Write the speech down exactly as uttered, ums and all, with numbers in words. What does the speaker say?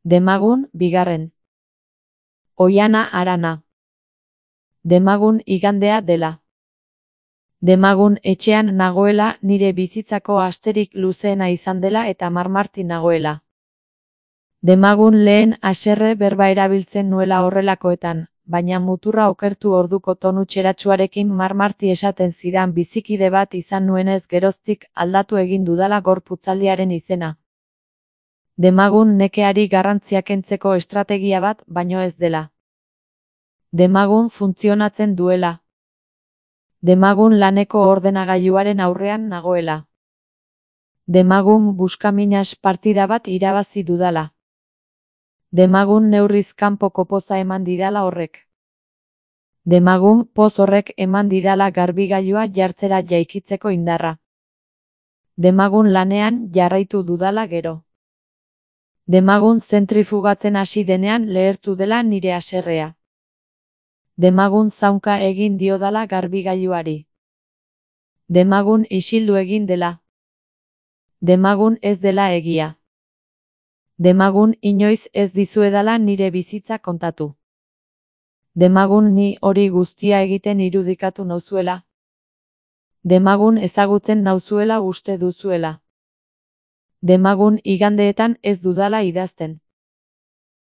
Demagun, bigarren. Oiana Arana. Demagun igandea dela. Demagun etxean nagoela, nire bizitzako asterik luzeena izan dela eta marmarti nagoela. Demagun lehen haserre berba erabiltzen nuela horrelakoetan, baina muturra okertu orduko tonu txeratsuarekin marmarti esaten zidan bizikide bat izan nuenez geroztik aldatu egin dudala gorputzaldiaren izena. Demagun nekeari garrantzia kentzeko estrategia bat baino ez dela. Demagun funtzionatzen duela. Demagun laneko ordenagailuaren aurrean nagoela. Demagun buskaminas partida bat irabazi dudala. Demagun neurriz kanpoko poza eman didala horrek. Demagun poz horrek eman didala garbigailua jartzera jaikitzeko indarra. Demagun lanean jarraitu dudala gero. Demagun zentrifugatzen hasi denean lehertu dela nire haserrea. Demagun zaunka egin diodala garbigailuari. Demagun isildu egin dela. Demagun ez dela egia. Demagun inoiz ez dizuedala nire bizitza kontatu. Demagun ni hori guztia egiten irudikatu nauzuela. Demagun ezagutzen nauzuela uste duzuela. Demagun igandeetan ez dudala idazten.